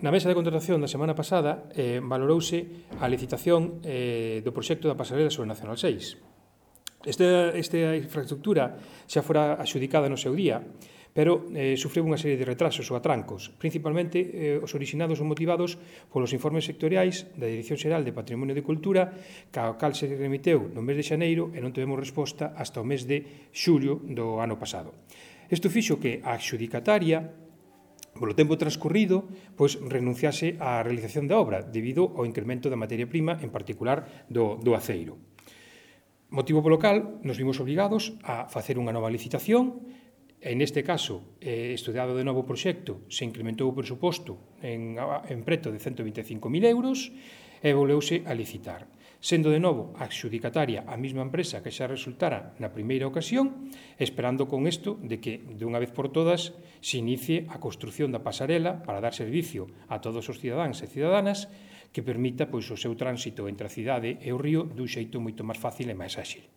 Na mesa de contratación da semana pasada valorouse a licitación do proxecto da pasarela sobre Nacional 6. Esta infraestructura xa fora axudicada no seu día, pero sufreu unha serie de retrasos ou atrancos, principalmente os originados ou motivados polos informes sectoriais da Dirección Xeral de Patrimonio de Cultura, ao cal se remiteu no mes de xaneiro e non tivemos resposta hasta o mes de xullo do ano pasado. Isto fixo que a adxudicataria, polo tempo transcorrido, pois renunciase á realización da obra debido ao incremento da materia prima, en particular do aceiro. Motivo polo cal nos vimos obrigados a facer unha nova licitación. En este caso, estudado de novo o proxecto, se incrementou o presuposto en preto de 125.000 euros e voleuse a licitar. Sendo de novo a adxudicataria a mesma empresa que xa resultara na primeira ocasión, esperando con isto de que, de unha vez por todas, se inicie a construción da pasarela para dar servicio a todos os cidadáns e cidadanas que permita o seu tránsito entre a cidade e o río dun xeito moito máis fácil e máis áxil.